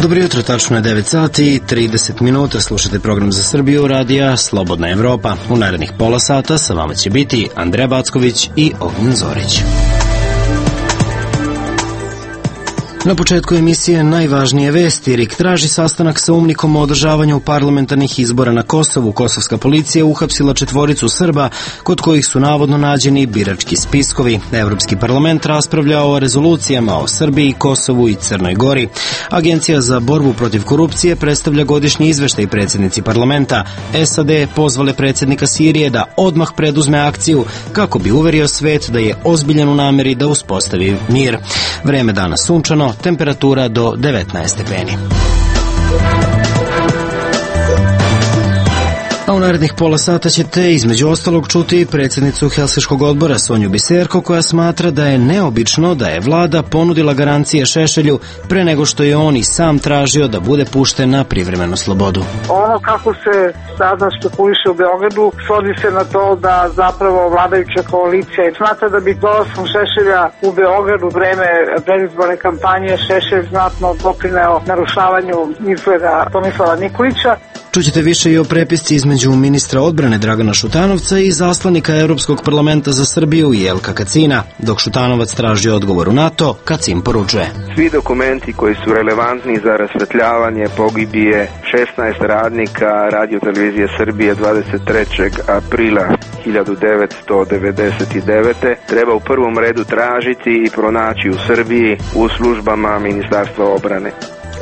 Dobro jutro, tačno je 9 sati i 30 minuta. Slušate program za Srbiju radija Slobodna Evropa. U narednih pola sata sa vama će biti Andreja Backović i Ognjen Zorić. Na početku emisije najvažnije vesti. RIK traži sastanak sa UMNIK-om o održavanju parlamentarnih izbora na Kosovu. Kosovska policija uhapsila 4 Srba kod kojih su navodno nađeni birački spiskovi. Evropski parlament raspravlja o rezolucijama o Srbiji, Kosovu i Crnoj Gori. Agencija za borbu protiv korupcije predstavlja godišnji izveštaj predsjednici parlamenta. SAD pozvale predsjednika Sirije da odmah preduzme akciju kako bi uverio svet da je ozbiljan u nameri da uspostavi mir. Vreme danas sunčano, temperatura do 19 stepeni. A u narednih pola sata ćete između ostalog čuti predsjednicu Helsinškog odbora Sonju Biserko, koja smatra da je neobično da je vlada ponudila garancije Šešelju pre nego što je on i sam tražio da bude pušten na privremenu slobodu. Ono kako se sada špekuliše u Beogradu svodi se na to da zapravo vladajuća koalicija smatra da bi dolaskom Šešelja u Beogradu u vreme predizborne kampanje Šešelj znatno doprineo narušavanju izgleda Tomislava Nikolića. Čućete više i o prepisci između ministra odbrane Dragana Šutanovca i zaslanika Evropskog parlamenta za Srbiju Jelka Kacina. Dok Šutanovac traži odgovor u NATO, Kacin poručuje: svi dokumenti koji su relevantni za rasvetljavanje pogibije 16 radnika Radio-televizije Srbije 23. aprila 1999. treba u prvom redu tražiti i pronaći u Srbiji u službama Ministarstva odbrane.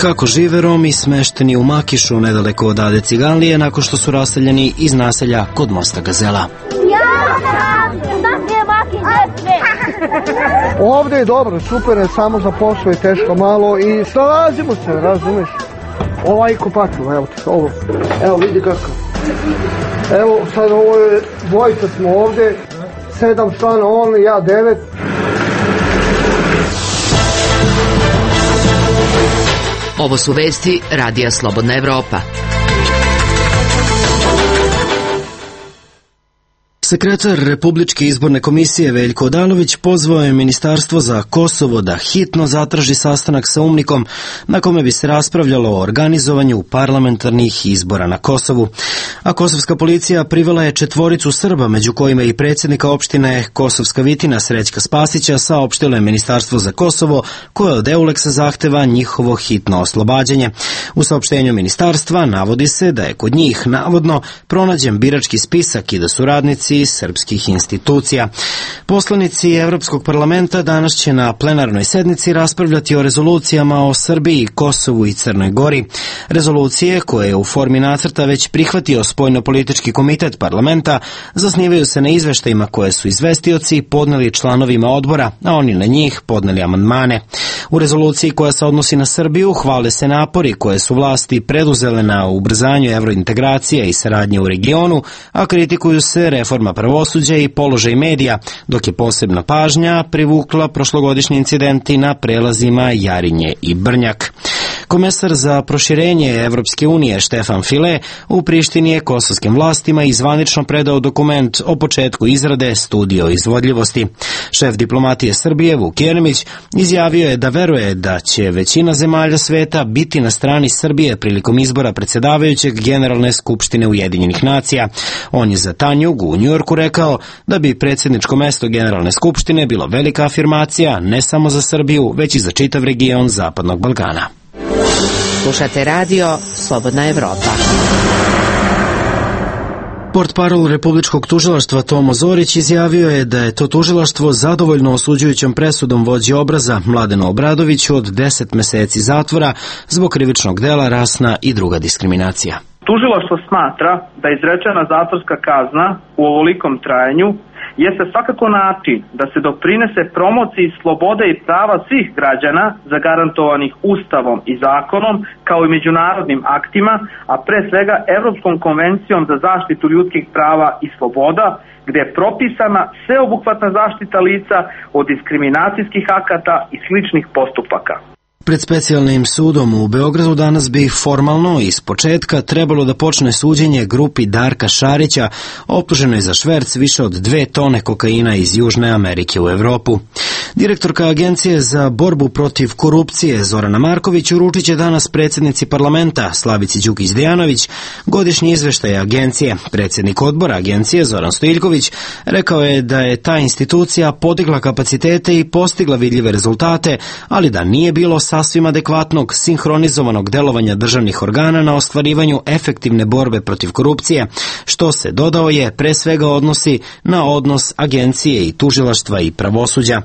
Kako žive Romi smešteni u Makišu, nedaleko od Ade Ciganlije, nakon što su raseljeni iz naselja kod mosta Gazela. Ovde je dobro, super je, samo za posao je teško malo i snalazimo se, razumeš? Ovaj kopatilo, evo te, ovo. Evo vidi kako. Evo sad ovo je, dvojica smo ovde, 7 člana on, ja 9. Ovo su vesti Radija Slobodna Evropa. Sekretar Republičke izborne komisije Veljko Odalović pozvao je Ministarstvo za Kosovo da hitno zatraži sastanak sa UMNIK-om na kome bi se raspravljalo o organizovanju parlamentarnih izbora na Kosovu. A kosovska policija privela je 4 Srba, među kojima i predsjednika opštine Kosovska Vitina Srećka Spasića, saopštilo je Ministarstvo za Kosovo, koje od EULEX-a zahteva njihovo hitno oslobađanje. U saopštenju ministarstva navodi se da je kod njih navodno pronađen birački spisak i da su radnici srpskih institucija. Poslanici Evropskog parlamenta danas će na plenarnoj sednici raspravljati o rezolucijama o Srbiji, Kosovu i Crnoj Gori. Rezolucije, koje je u formi nacrta već prihvatio Spoljnopolitički komitet parlamenta, zasnivaju se na izveštajima koje su izvestioci podneli članovima odbora, a oni na njih podneli amandmane. U rezoluciji koja se odnosi na Srbiju hvale se napori koje su vlasti preduzele na ubrzanju evrointegracija i saradnje u regionu, a kritikuju se reforma pravosuđa i položaj medija, dok je posebna pažnja privukla prošlogodišnji incidenti na prelazima Jarinje i Brnjak. Komesar za proširenje Evropske unije Štefan File u Prištini je kosovskim vlastima i zvanično predao dokument o početku izrade studije o izvodljivosti. Šef diplomatije Srbije Vuk Jeremić izjavio je da veruje da će većina zemalja sveta biti na strani Srbije prilikom izbora predsjedavajućeg Generalne skupštine Ujedinjenih nacija. On je za Tanjug u Njujorku rekao da bi predsjedničko mesto Generalne skupštine bilo velika afirmacija ne samo za Srbiju, već i za čitav region Zapadnog Balkana. Slušate radio Slobodna Evropa. Portparol Republičkog tužilaštva Tomo Zorić izjavio je da je to tužilaštvo zadovoljno osuđujućom presudom vođi Obraza Mladenu Obradoviću od 10 meseci zatvora zbog krivičnog dela rasna i druga diskriminacija. Tužilaštvo smatra da izrečena zatvorska kazna u ovolikom trajanju jeste svakako način da se doprinese promociji slobode i prava svih građana zagarantovanih Ustavom i zakonom, kao i međunarodnim aktima, a pre svega Evropskom konvencijom za zaštitu ljudskih prava i sloboda, gde je propisana sveobuhvatna zaštita lica od diskriminacijskih akata i sličnih postupaka. Pred specijalnim sudom u Beogradu danas bi formalno iz početka trebalo da počne suđenje grupi Darka Šarića, optuženoj za šverc više od 2 tone kokaina iz Južne Amerike u Evropu. Direktorka Agencije za borbu protiv korupcije Zorana Marković uručit će danas predsjednici parlamenta Slavici Đukić Dejanović godišnji izveštaj agencije. Predsjednik odbora agencije Zoran Stojiljković rekao je da je ta institucija podigla kapacitete i postigla vidljive rezultate, ali da nije bilo sasvim adekvatnog sinhronizovanog delovanja državnih organa na ostvarivanju efektivne borbe protiv korupcije, što se, dodao je, pre svega odnosi na odnos agencije i tužilaštva i pravosuđa.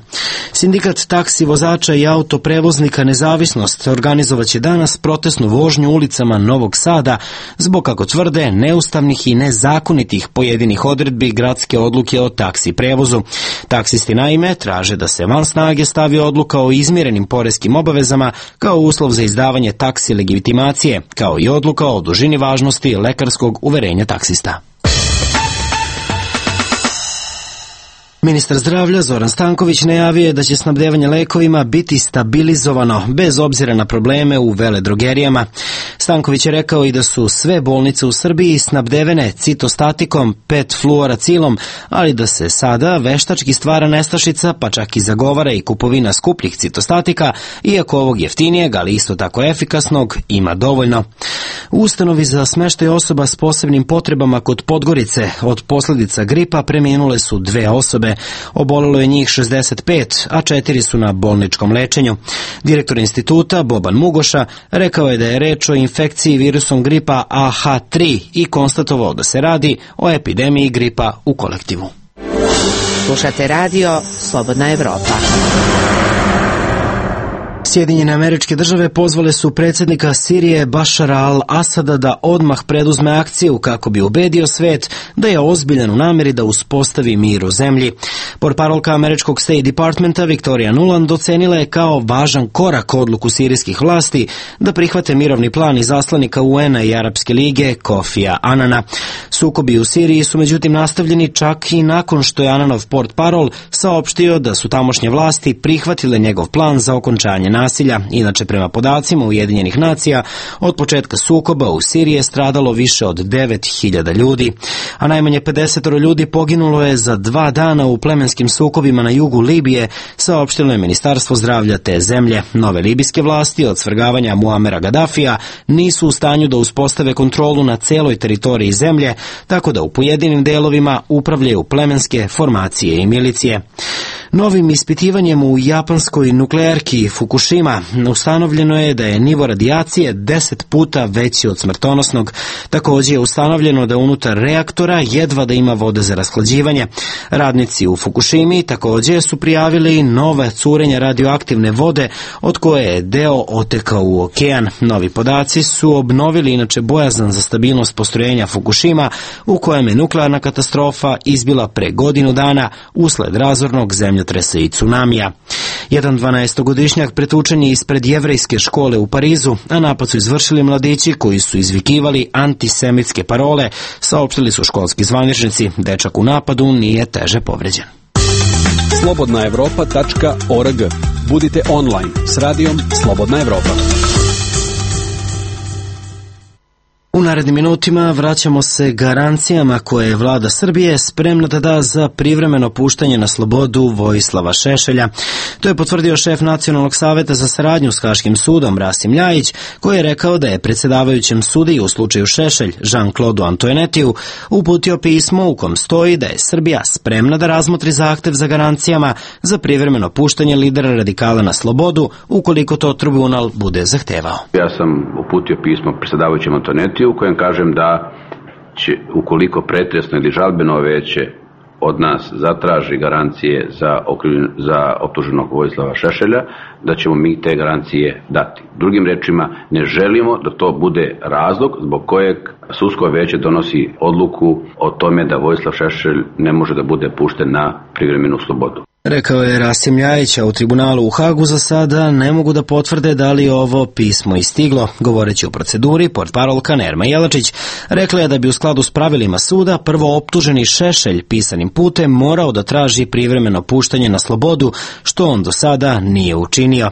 Sindikat taksi vozača i autoprevoznika Nezavisnost organizovaće danas protestnu vožnju ulicama Novog Sada zbog, kako tvrde, neustavnih i nezakonitih pojedinih odredbi gradske odluke o taksi prevozu. Taksisti naime traže da se van snage stavi odluka o izmirenim poreskim obavezama kao uslov za izdavanje taksi legitimacije, kao i odluka o dužini važnosti lekarskog uverenja taksista. Ministar zdravlja Zoran Stanković najavio je da će snabdevanje lekovima biti stabilizovano bez obzira na probleme u veledrogerijama. Stanković je rekao i da su sve bolnice u Srbiji snabdevene citostatikom, pet-fluoracilom, ali da se sada veštački stvara nestašica, pa čak i zagovara i kupovina skupljih citostatika, iako ovog jeftinijeg, ali isto tako efikasnog, ima dovoljno. U ustanovi za smeštaj osoba s posebnim potrebama kod Podgorice od posljedica gripa preminule su 2 osobe. Obolelo je njih 65, a 4 su na bolničkom lečenju. Direktor instituta Boban Mugoša rekao je da je reč o infekciji virusom gripa AH3 i konstatovao da se radi o epidemiji gripa u kolektivu. Slušate radio Slobodna Evropa. Sjedinjene Američke Države pozvale su predsjednika Sirije Bašara al-Asada da odmah preduzme akciju kako bi ubedio svet da je ozbiljan u namjeri da uspostavi mir u zemlji. Portparolka američkog State Departmenta Victoria Nuland ocenila je kao važan korak odluku sirijskih vlasti da prihvate mirovni plan izaslanika UN-a i Arapske lige Kofija Anana. Sukobi u Siriji su međutim nastavljeni čak i nakon što je Ananov portparol saopštio da su tamošnje vlasti prihvatile njegov plan za okončanje nasilja. Inače, prema podacima Ujedinjenih nacija, od početka sukoba u Siriji je stradalo više od 9.000 ljudi, a najmanje 50 ljudi poginulo je za 2 dana u plemenskim sukobima na jugu Libije, saopštilo je Ministarstvo zdravlja te zemlje. Nove libijske vlasti od svrgavanja Muamera Gadafija nisu u stanju da uspostave kontrolu na celoj teritoriji zemlje, tako da u pojedinim delovima upravljaju plemenske formacije i milicije. Novim ispitivanjem u japanskoj nuklearki Fukushima ustanovljeno je da je nivo radijacije 10 puta veći od smrtonosnog. Također je ustanovljeno da unutar reaktora jedva da ima vode za rashlađivanje. Radnici u Fukushimi također su prijavili nove curenja radioaktivne vode, od koje je deo otekao u okean. Novi podaci su obnovili inače bojazan za stabilnost postrojenja Fukushima, u kojem je nuklearna katastrofa izbila pre godinu dana usled razornog zemljotresa i tsunamija. Jedan 12-godišnjak pretučen je ispred jevrejske škole u Parizu, a napad su izvršili mladići koji su izvikivali antisemitske parole, saopštili su školski zvaničnici. Dečak u napadu nije teže povređen. slobodnaevropa.org. Budite online s radijom Slobodna Evropa. U narednim minutima vraćamo se garancijama koje je vlada Srbije spremna da da za privremeno puštanje na slobodu Vojislava Šešelja. To je potvrdio šef Nacionalnog saveta za saradnju s Haškim sudom Rasim Ljajić, koji je rekao da je predsjedavajućem sudiji u slučaju Šešelj Jean-Claude Antoinetiju uputio pismo u kom stoji da je Srbija spremna da razmotri zahtev za garancijama za privremeno puštanje lidera radikala na slobodu ukoliko to tribunal bude zahtevao. Ja sam uputio pismo predsjedavajućem Antoinetiju u kojem kažem da će, ukoliko pretresno ili žalbeno veće od nas zatraži garancije za optuženog Vojislava Šešelja, da ćemo mi te garancije dati. Drugim rečima, ne želimo da to bude razlog zbog kojeg sudsko veće donosi odluku o tome da Vojislav Šešelj ne može da bude pušten na privremenu slobodu. Rekao je Rasim Ljajić, a u tribunalu u Hagu za sada ne mogu da potvrde da li ovo pismo istiglo. Govoreći o proceduri, portparolka Nerma Jelačić rekla je da bi u skladu s pravilima suda prvo optuženi Šešelj pisanim putem morao da traži privremeno puštanje na slobodu, što on do sada nije učinio.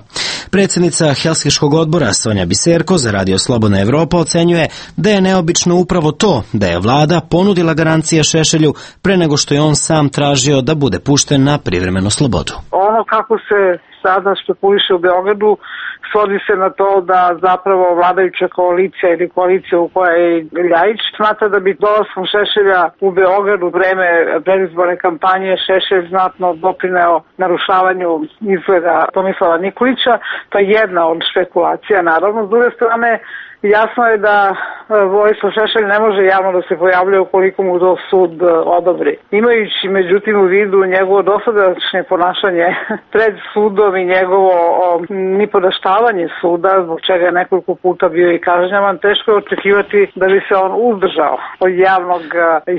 Predsjednica Helsinškog odbora Sonja Biserko za Radio Slobodna Evropa ocenjuje da je neobično upravo to da je vlada ponudila garancije Šešelju pre nego što je on sam tražio da bude pušten na privremenu slobodu. Ono kako se sada špekuliše u Beogradu svodi se na to da zapravo vladajuća koalicija ili koalicija u kojoj je Ljajić smatra da bi dolaskom Šešelja u Beogradu u vreme predizborne kampanje Šešelj znatno doprineo narušavanju izgleda Tomislava Nikolića. To je jedna od špekulacija, naravno. S druge strane, jasno je da Vojislav Šešelj ne može javno da se pojavljuje ukoliko mu to sud odobri. Imajući međutim u vidu njegovo dosadašnje ponašanje pred sudom i njegovo nipodaštavanje suda, zbog čega je nekoliko puta bio i kažnjavan, teško je očekivati da bi se on uzdržao od javnog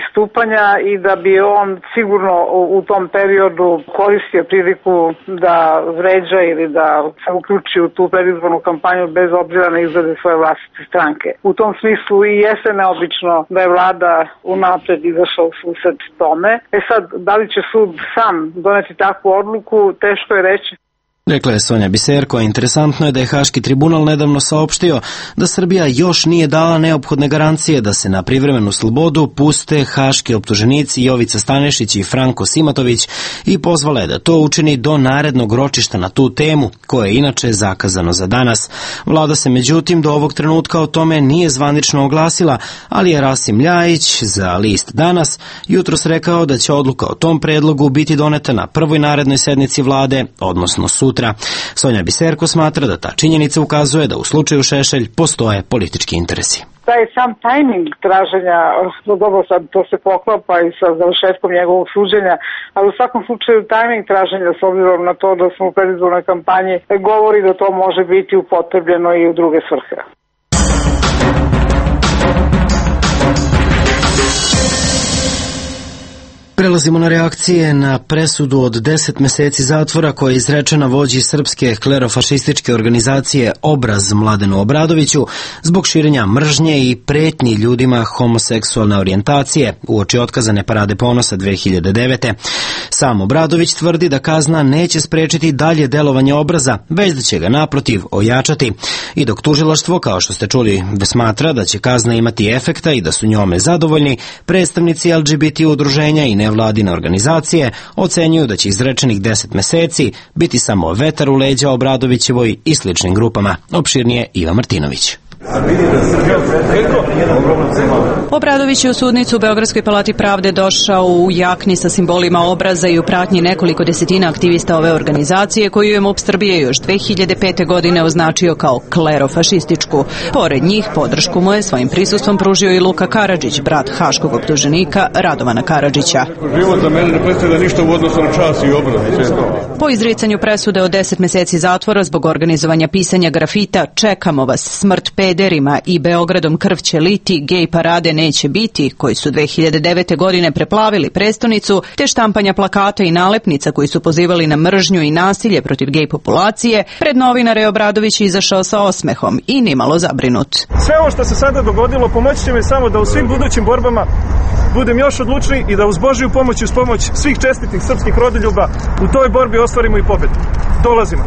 istupanja i da bi on sigurno u tom periodu koristio priliku da vređa ili da se uključi u tu predizbornu kampanju bez obzira na izglede svoje vlastite stranke. U tom smislu i jeste neobično da je vlada unapred izašla u susret tome. Sad, da li će sud sam doneti takvu odluku, teško je reći. Rekla je Sonja Biserko, a interesantno je da je Haški tribunal nedavno saopštio da Srbija još nije dala neophodne garancije da se na privremenu slobodu puste haški optuženici Jovica Stanešić i Franko Simatović i pozvala je da to učini do narednog ročišta na tu temu, koje je inače zakazano za danas. Vlada se međutim do ovog trenutka o tome nije zvanično oglasila, ali je Rasim Ljajić za list Danas jutros rekao da će odluka o tom predlogu biti doneta na prvoj narednoj sednici vlade, odnosno sutra. Sonja Biserko smatra da ta činjenica ukazuje da u slučaju Šešelj postoje politički interesi. Taj sam tajming traženja, dobro sad to se poklapa i sa završetkom njegovog suđenja, ali u svakom slučaju tajming traženja s obzirom na to da smo u predizbornoj kampanji govori da to može biti upotrebljeno i u druge svrhe. Prelazimo na reakcije na presudu od 10 meseci zatvora koja je izrečena vođi srpske klerofašističke organizacije Obraz Mladenu Obradoviću zbog širenja mržnje i pretnji ljudima homoseksualne orijentacije uoči otkazane Parade ponosa 2009. Sam Obradović tvrdi da kazna neće sprečiti dalje delovanje Obraza, već da će ga naprotiv ojačati. I dok tužilaštvo, kao što ste čuli, smatra da će kazna imati efekta i da su njome zadovoljni, predstavnici LGBT udruženja i nevladine organizacije ocenjuju da će izrečenih 10 meseci biti samo vetar u leđa Obradovićevoj i sličnim grupama. Opširnije Iva Martinović. Obradović je u sudnicu u Beogradskoj palati pravde došao u jakni sa simbolima Obraza i u pratnji nekoliko desetina aktivista ove organizacije koju je MUP Srbije još 2005. godine označio kao klerofašističku. Pored njih podršku mu je svojim prisustvom pružio i Luka Karadžić, brat haškog optuženika Radovana Karadžića. Život za mene ne predstavlja ništa u odnosu na čas i obraz. Po izricanju presude od 10 meseci zatvora zbog organizovanja pisanja grafita "Čekamo vas, smrt pederima" i "Beogradom krv će liti, gej parade neće biti", koji su 2009. godine preplavili prestonicu, te štampanja plakata i nalepnica koji su pozivali na mržnju i nasilje protiv gej populacije, pred novinare je Obradović izašao sa osmehom i nimalo zabrinut. Sve ovo što se sada dogodilo pomoći će mi samo da u svim budućim borbama budem još odlučniji i da uz Božju pomoć i uz pomoć svih čestitih srpskih rodoljuba u toj borbi ostvarimo i pobedu. Dolazimo.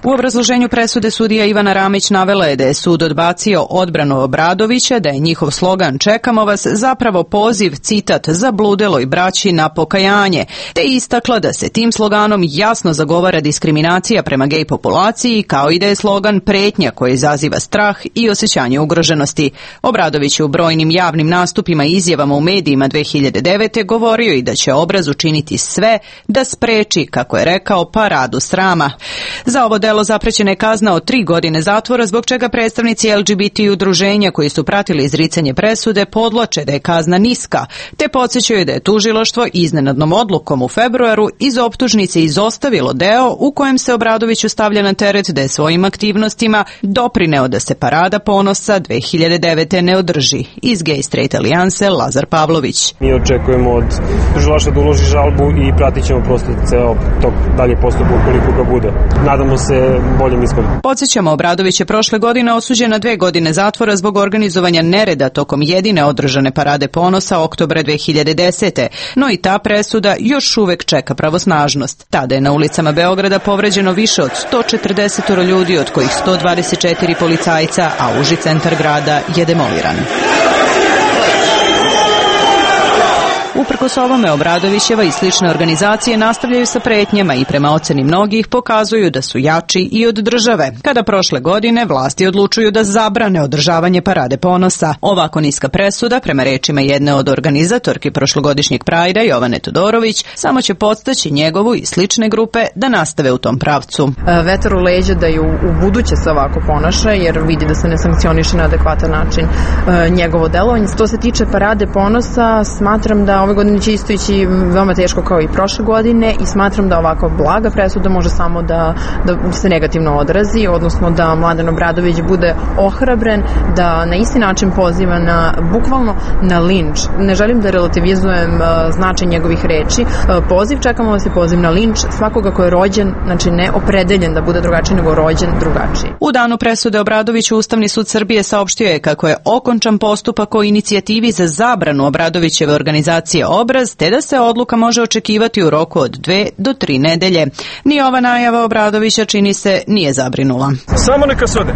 U obrazloženju presude sudija Ivana Ramić navela je da je sud odbacio odbranu Obradovića, da je njihov slogan "Čekamo vas" zapravo poziv, citat, zabludeloj braći na pokajanje, te istakla da se tim sloganom jasno zagovara diskriminacija prema gej populaciji, kao i da je slogan pretnja koja izaziva strah i osjećanje ugroženosti. Obradović je u brojnim javnim nastupima i izjavama u medijima 2009. govorio i da će Obraz učiniti sve da spreči, kako je rekao, paradu srama. Za ovo delo delo zaprećena je kazna od 3 godine zatvora, zbog čega predstavnici LGBT udruženja koji su pratili izricanje presude podvlače da je kazna niska, te podsjećaju da je tužilaštvo iznenadnom odlukom u februaru iz optužnice izostavilo deo u kojem se Obradoviću stavlja na teret da je svojim aktivnostima doprineo da se Parada ponosa 2009. ne održi. Iz Gay Straight Alijanse Lazar Pavlović. Mi očekujemo od tužilaštva da uloži žalbu i pratit ćemo prosto ceo tog dalje postupak ukoliko ga bude. Nadamo se boljem ishodu. Podsjećamo, Obradović je prošle godine osuđen na 2 godine zatvora zbog organizovanja nereda tokom jedine održane Parade ponosa oktobra 2010. No i ta presuda još uvek čeka pravosnažnost. Tada je na ulicama Beograda povređeno više od 140 ljudi, od kojih 124 policajca, a uži centar grada je demoliran. Uprkos ovome, Obradovićeva i slične organizacije nastavljaju sa pretnjama i prema oceni mnogih pokazuju da su jači i od države. Kada prošle godine vlasti odlučuju da zabrane održavanje Parade ponosa, ovako niska presuda, prema rečima jedne od organizatorki prošlogodišnjeg Prajda, Jovane Todorović, samo će podstaći njegovu i slične grupe da nastave u tom pravcu. Vetar u leđa da ju u buduće se ovako ponaša, jer vidi da se ne sankcioniše na adekvatan način njegovo delovanje. Što se tiče Parade ponosa, smatram da ove godine će isto ići veoma teško kao i prošle godine i smatram da ovakva blaga presuda može samo da se negativno odrazi, odnosno da Mladen Obradović bude ohrabren, da na isti način poziva bukvalno na linč. Ne želim da relativizujem značaj njegovih reči. Čekamo vas i poziv na linč svakoga ko je rođen, znači ne opredeljen da bude drugačiji, nego rođen drugačiji. U danu presude Obradoviću Ustavni sud Srbije saopštio je kako je okončan postupak o inicijativi za zabranu Obradovićeve organizacije Obraz, te da se odluka može očekivati u roku od 2 do 3 nedelje. Ni ova najava Obradovića, čini se, nije zabrinula. Samo neka se ode.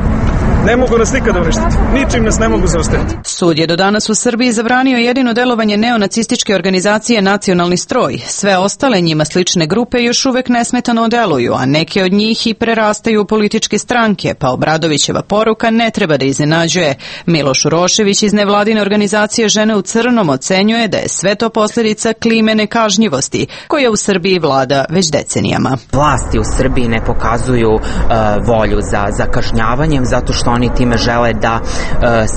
Ne mogu nas nikada uništiti. Ničim nas ne mogu zaustaviti. Sud je do danas u Srbiji zabranio jedino delovanje neonacističke organizacije Nacionalni stroj. Sve ostale njima slične grupe još uvek nesmetano deluju, a neke od njih i prerastaju u političke stranke, pa Obradovićeva poruka ne treba da iznenađuje. Miloš Urošević iz nevladine organizacije Žene u crnom ocenjuje da je sve to posljedica klime nekažnjivosti, koja u Srbiji vlada već decenijama. Vlasti u Srbiji ne pokazuju volju za kažnjavanjem, zato što oni time žele da,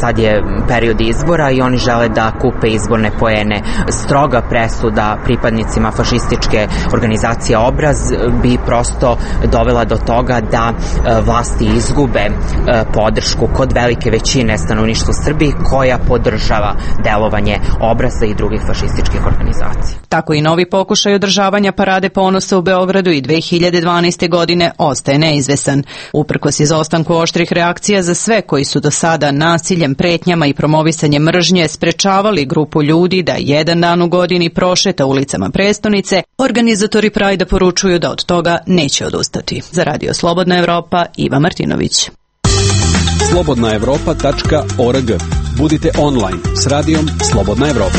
sad je period izbora i oni žele da kupe izborne poene. Stroga presuda pripadnicima fašističke organizacije Obraz bi prosto dovela do toga da vlasti izgube podršku kod velike većine stanovništva u Srbiji koja podržava delovanje Obraza i drugih fašističkih organizacija. Tako i novi pokušaj održavanja Parade ponosa u Beogradu i 2012. godine ostaje neizvesan. Uprkos izostanku oštrih reakcija za sve koji su do sada nasiljem, pretnjama i promovisanjem mržnje sprečavali grupu ljudi da jedan dan u godini prošeta ulicama prestonice, organizatori Prajda poručuju da od toga neće odustati. Za Radio Slobodna Evropa, Iva Martinović. slobodnaevropa.org. Budite online s radijom Slobodna Evropa.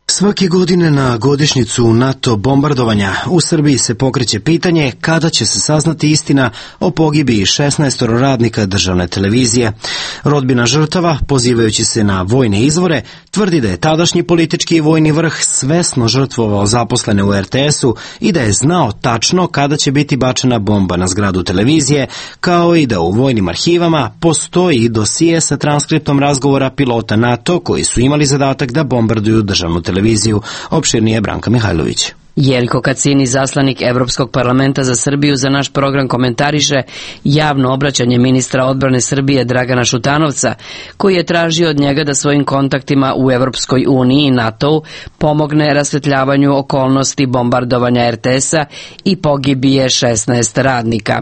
Svake godine na godišnjicu NATO bombardovanja u Srbiji se pokreće pitanje kada će se saznati istina o pogibiji 16 radnika državne televizije. Rodbina žrtava, pozivajući se na vojne izvore, tvrdi da je tadašnji politički i vojni vrh svesno žrtvovao zaposlene u RTS-u i da je znao tačno kada će biti bačena bomba na zgradu televizije, kao i da u vojnim arhivama postoji dosije sa transkriptom razgovora pilota NATO koji su imali zadatak da bombarduju državnu televiziju. Opširnije Branka Mihajlović. Jeljko Kacin, izaslanik Evropskog parlamenta za Srbiju, za naš program komentariše javno obraćanje ministra odbrane Srbije Dragana Šutanovca, koji je tražio od njega da svojim kontaktima u Evropskoj uniji i NATO-u pomogne rasvetljavanju okolnosti bombardovanja RTS-a i pogibije 16 radnika.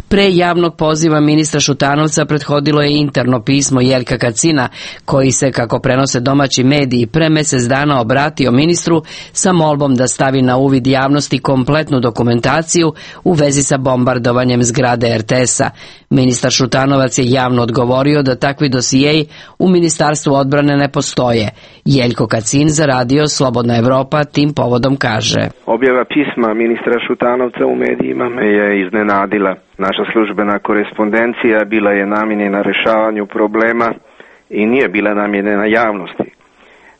Pre javnog poziva ministra Šutanovca prethodilo je interno pismo Jeljka Kacina, koji se, kako prenose domaći mediji, pre mesec dana obratio ministru sa molbom da stavi na uvid javnosti kompletnu dokumentaciju u vezi sa bombardovanjem zgrade RTS-a. Ministar Šutanovac je javno odgovorio da takvi dosijeji u Ministarstvu odbrane ne postoje. Jeljko Kacin za Radio Slobodna Evropa tim povodom kaže: Objava pisma ministra Šutanovca u medijima me je iznenadila. Naša službena korespondencija bila je namijenjena rešavanju problema i nije bila namijenjena javnosti.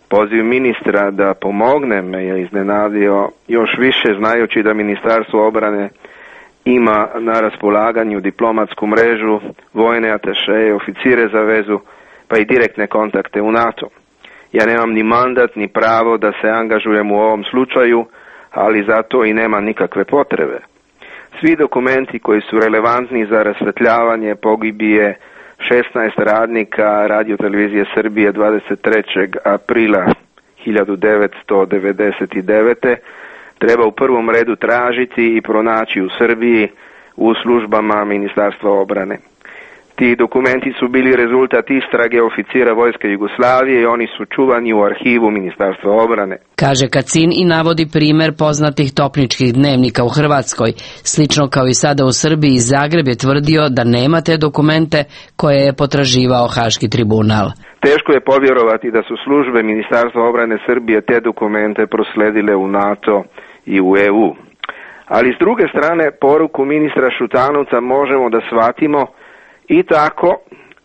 Poziv ministra da pomogne me je iznenadio još više, znajući da Ministarstvo odbrane ima na raspolaganju diplomatsku mrežu, vojne atašeje, oficire za vezu, pa i direktne kontakte u NATO. Ja nemam ni mandat ni pravo da se angažujem u ovom slučaju, ali zato i nema nikakve potrebe. Svi dokumenti koji su relevantni za rasvetljavanje pogibije 16 radnika Radio-televizije Srbije 23. aprila 1999. treba u prvom redu tražiti i pronaći u Srbiji u službama Ministarstva obrane. Ti dokumenti su bili rezultat istrage oficira Vojske Jugoslavije i oni su čuvani u arhivu Ministarstva obrane. Kaže Kacin i navodi primer poznatih topničkih dnevnika u Hrvatskoj. Slično kao i sada u Srbiji, Zagreb je tvrdio da nema te dokumente koje je potraživao Haški tribunal. Teško je povjerovati da su službe Ministarstva obrane Srbije te dokumente prosledile u NATO i u EU. Ali s druge strane, poruku ministra Šutanovca možemo da shvatimo i tako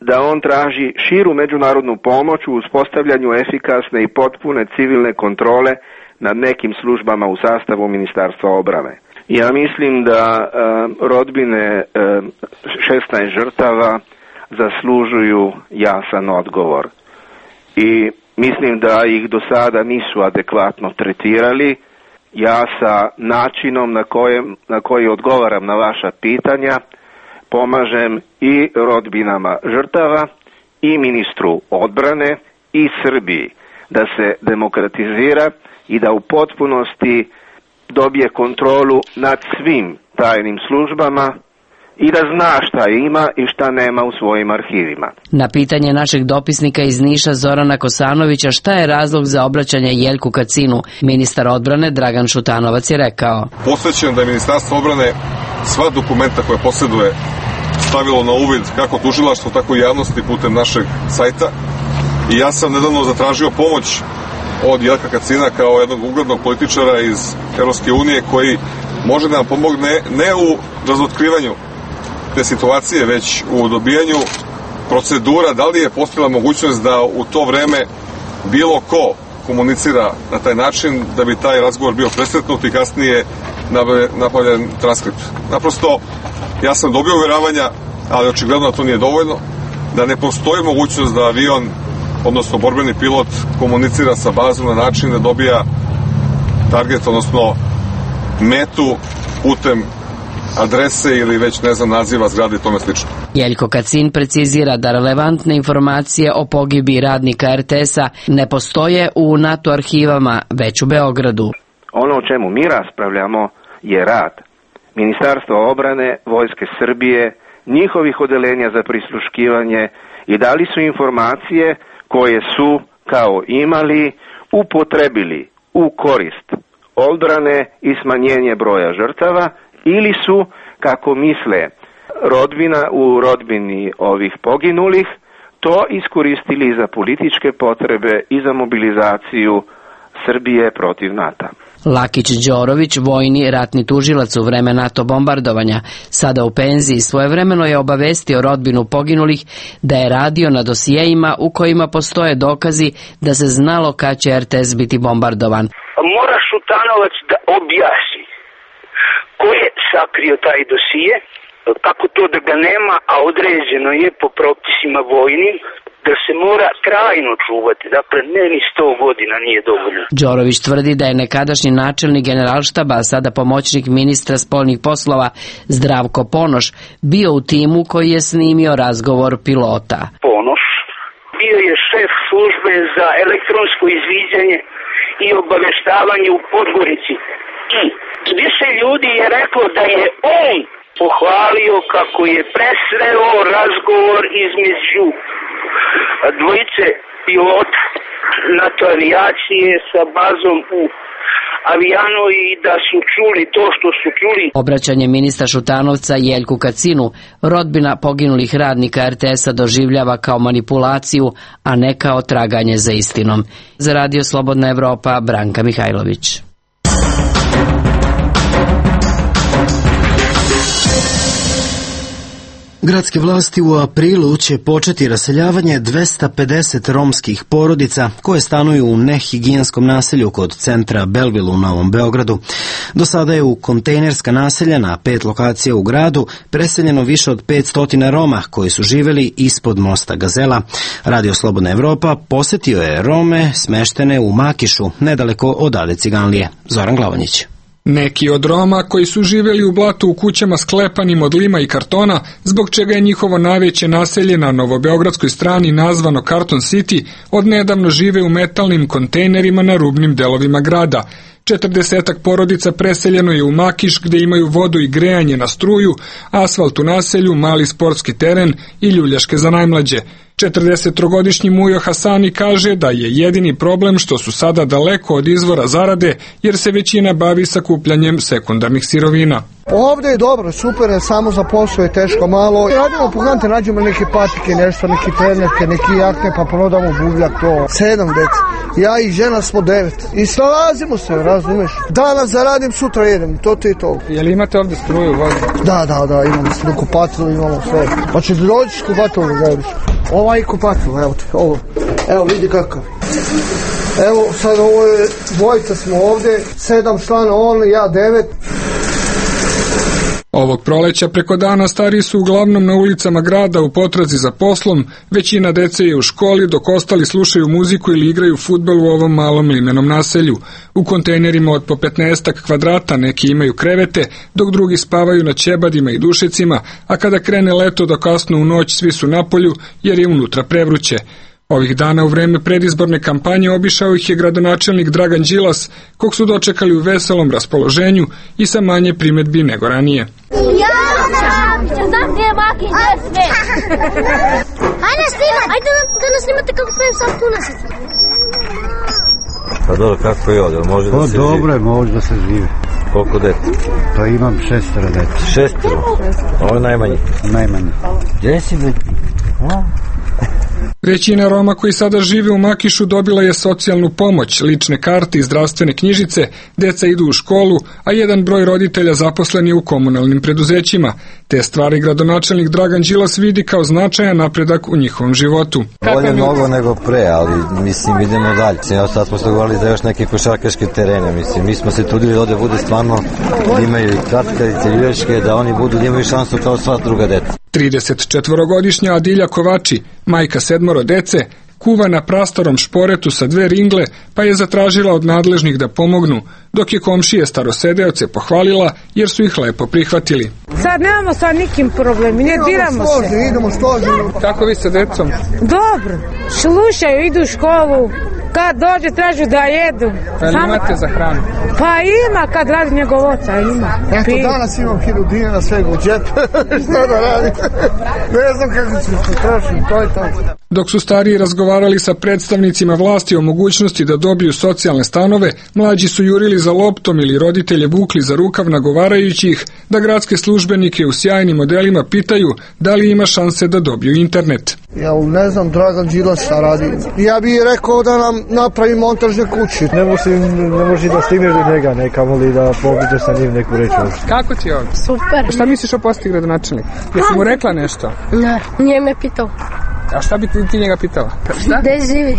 da on traži širu međunarodnu pomoć u uspostavljanju efikasne i potpune civilne kontrole nad nekim službama u sastavu Ministarstva obrane. Ja mislim da rodbine 16 žrtava zaslužuju jasan odgovor i mislim da ih do sada nisu adekvatno tretirali. Ja sa načinom na koji odgovaram na vaša pitanja pomažem i rodbinama žrtava i ministru odbrane i Srbiji da se demokratizira i da u potpunosti dobije kontrolu nad svim tajnim službama i da zna šta ima i šta nema u svojim arhivima. Na pitanje našeg dopisnika iz Niša Zorana Kosanovića šta je razlog za obraćanje Jeljku Kacinu, ministar odbrane Dragan Šutanovac je rekao: Posvećen da je Ministarstvo odbrane sva dokumenta koje posjeduje stavilo na uvid kako tužilaštvo, tako i javnosti putem našeg sajta. I ja sam nedavno zatražio pomoć od Jelka Kacina kao jednog uglednog političara iz Evropske unije koji može da nam pomogne ne u razotkrivanju te situacije, već u dobijanju procedura, da li je postojala mogućnost da u to vreme bilo ko komunicira na taj način da bi taj razgovor bio presretnut i kasnije napravljen transkript. Naprosto, ja sam dobio uvjeravanja, ali očigledno to nije dovoljno, da ne postoji mogućnost da avion, odnosno borbeni pilot, komunicira sa bazom na način da dobija target, odnosno metu putem adrese ili već ne znam naziva zgrade i tome slično. Jeljko Kacin precizira da relevantne informacije o pogibiji radnika RTS-a ne postoje u NATO arhivama, već u Beogradu. Ono o čemu mi raspravljamo je rad Ministarstva obrane, Vojske Srbije, njihovih odelenja za prisluškivanje i da li su informacije koje su kao imali upotrebili u korist odbrane i smanjenje broja žrtava ili su, kako misle u rodbini ovih poginulih, to iskoristili za političke potrebe i za mobilizaciju Srbije protiv NATO. Lakić Đorović, vojni ratni tužilac u vreme NATO bombardovanja, sada u penziji, svojevremeno je obavestio rodbinu poginulih da je radio na dosijejima u kojima postoje dokazi da se znalo kad će RTS biti bombardovan. Mora Šutanovac da objasni ko je sakrio taj dosije, kako to da ga nema, a određeno je po propisima vojnim da se mora trajno čuvati, dakle ne ni 100 godina nije dovoljno. Đorović tvrdi da je nekadašnji načelnik generalštaba, a sada pomoćnik ministra spoljnih poslova Zdravko Ponoš, bio u timu koji je snimio razgovor pilota. Ponoš bio je šef službe za elektronsko izviđanje i obaveštavanje u Podgorici. I više ljudi je reklo da je on pohvalio kako je presreo razgovor između dvojice pilota NATO avijacije sa bazom u Avijanu i da su čuli to što su čuli. Obraćanje ministra Šutanovca Jeljku Kacinu rodbina poginulih radnika RTS-a doživljava kao manipulaciju, a ne kao traganje za istinom. Za Radio Slobodna Evropa, Branka Mihajlović. Gradske vlasti u aprilu će početi raseljavanje 250 romskih porodica koje stanuju u nehigijenskom naselju kod centra Belleville u Novom Beogradu. Do sada je u kontejnerska naselja na 5 lokacija u gradu preseljeno više od 500 Roma koji su živeli ispod mosta Gazela. Radio Slobodna Evropa posetio je Rome smeštene u Makišu, nedaleko od Ade Ciganlije. Zoran Glavonjić. Neki od Roma koji su živjeli u blatu u kućama sklepanim od lima i kartona, zbog čega je njihovo najveće naselje na novobeogradskoj strani nazvano Carton City, odnedavno žive u metalnim kontejnerima na rubnim delovima grada. 40 porodica preseljeno je u Makiš gde imaju vodu i grejanje na struju, asfalt u naselju, mali sportski teren i ljuljaške za najmlađe. 43-godišnji Mujo Hasani kaže da je jedini problem što su sada daleko od izvora zarade jer se većina bavi sakupljanjem sekundarnih sirovina. Ovdje je dobro, super je, samo za posao je teško malo. Radimo po kante, nađemo neke patike, nešto, neki trenetke, neki jakne, pa ponudamo buvljak, to 7 deci. Ja i žena smo 9. I snalazimo se, razumiješ? Danas zaradim, sutra jedem, to ti je to. Je li imate ovdje struju, vodu? Da, imamo struju, kupatilu, imamo sve. Pa će dođeš kupatilu, gledaš. Ovaj kupatil, evo te, ovo. Evo, vidi kakav. Evo, sad ovo je, dvojica smo ovdje, 7 člana, on, ja 9. Ovog proleća preko dana stariji su uglavnom na ulicama grada u potrazi za poslom, većina dece je u školi, dok ostali slušaju muziku ili igraju fudbal u ovom malom limenom naselju. U kontejnerima od po 15 kvadrata neki imaju krevete, dok drugi spavaju na ćebadima i dušecima, a kada krene leto do kasno u noć svi su napolju jer je unutra prevruće. Ovih dana u vreme predizborne kampanje obišao ih je gradonačelnik Dragan Đilas, kog su dočekali u veselom raspoloženju i sa manje primedbi nego ranije. Ajde nas snimate kako pejem sam tu nasicu. Pa dobro, kako je ovdje? Može da se živi? Dobro je, može da se živi. Koliko dete? Pa imam 6 dete. 6? Ovo je najmanje? Najmanje. Gdje si dete? Većina Roma koji sada žive u Makišu dobila je socijalnu pomoć, lične karte i zdravstvene knjižice, deca idu u školu, a jedan broj roditelja zaposlen je u komunalnim preduzećima. Te stvari gradonačelnik Dragan Đilas vidi kao značajan napredak u njihovom životu. Bolje mnogo nego pre, ali mislim idemo dalje. Evo sad smo se govorili za još neke košarkaške terene, mislim. Mi smo se trudili da ovdje bude stvarno, da imaju i katkarice, ljuljaške, da oni budu, da imaju šansu kao sva druga deca. 34-godišnja Adilja Kovači, majka 7 dece, kuva na prastarom šporetu sa 2 ringle, pa je zatražila od nadležnih da pomognu, dok je komšije starosedeoce pohvalila jer su ih lepo prihvatili. Sad nemamo sa nikim problemi, ne diramo se. Idemo složeno. Kako vi sa decom? Dobro, slušaju, idu u školu, kad dođe tražu da jedu. Ali imate za hranu? Pa ima, kad radi njegov oca, ima. Eto, danas imam 1000 dinara svega u džep, šta da radim? Ne znam kako ću se trošiti, to je to. Dok su stariji razgovarali sa predstavnicima vlasti o mogućnosti da dobiju socijalne stanove, mlađi su jurili za loptom ili roditelje vukli za rukav nagovarajući ih da gradske službenike u sjajnim modelima pitaju da li ima šanse da dobiju internet. Ja ne znam, Dragan Đilas šta radi. Ja bih rekao da nam napravi montažne kuće. Ne može da stigneš do njega, nekamo li da pobiđeš sa njim neku reći. Kako ti je ovdje? Super. Šta misliš o posti gradonačelnik? Jesi mu rekla nešto? Ne, nije me pitao. A šta bi ti njega pitala? Šta? Gde živi?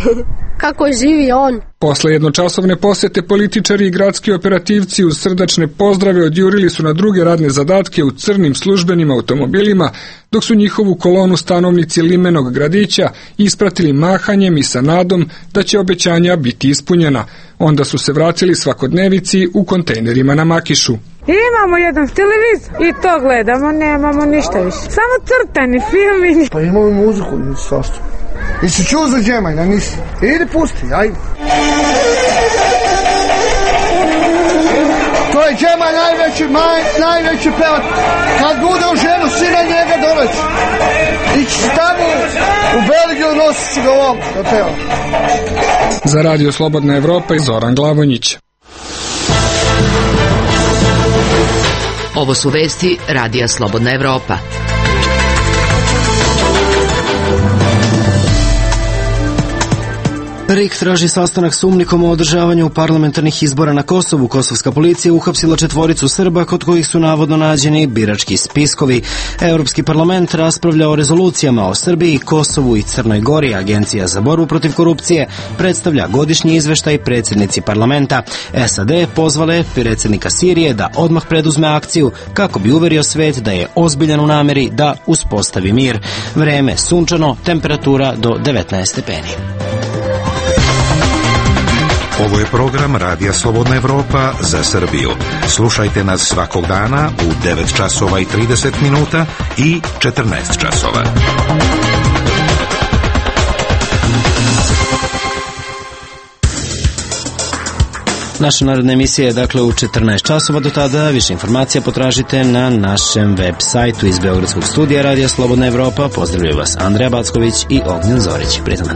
Kako živi on? Posle jednočasovne posete političari i gradski operativci uz srdačne pozdrave odjurili su na druge radne zadatke u crnim službenim automobilima, dok su njihovu kolonu stanovnici limenog gradića ispratili mahanjem i sa nadom da će obećanja biti ispunjena. Onda su se vratili svakodnevici u kontejnerima na Makišu. Imamo jedan televizor i to gledamo, nemamo ništa više. Samo crtani filmi. Pa imamo i muziku, nisi svašta. Jesi čuo za Džemajna, nisi? Idi pusti, ajde. To je Džemaj najveći pevat. Kad bude u ženu, sina njega doleći. Ići tamo u Belgiju, nosit ću ga ovom da peva. Za Radio Slobodna Evropa i Zoran Glavonjić. Ovo su vesti Radija Slobodna Evropa. RIK traži sastanak s UMNIK-om o održavanju parlamentarnih izbora na Kosovu. Kosovska policija uhapsila 4 Srba kod kojih su navodno nađeni birački spiskovi. Europski parlament raspravlja o rezolucijama o Srbiji, Kosovu i Crnoj Gori. Agencija za borbu protiv korupcije predstavlja godišnji izveštaj predsjednici parlamenta. SAD pozvale predsjednika Sirije da odmah preduzme akciju kako bi uverio svet da je ozbiljan u nameri da uspostavi mir. Vreme sunčano, temperatura do 19 stepeni. Ovo je program Radija Slobodna Evropa za Srbiju. Slušajte nas svakog dana u 9 časova i 30 minuta i 14 časova. Naša narodna emisija je dakle u 14 časova. Do tada više informacija potražite na našem web sajtu. Iz Beogradskog studija Radija Slobodna Evropa pozdravljaju vas Andreja Backović i Ognjen Zorić. Prijatno.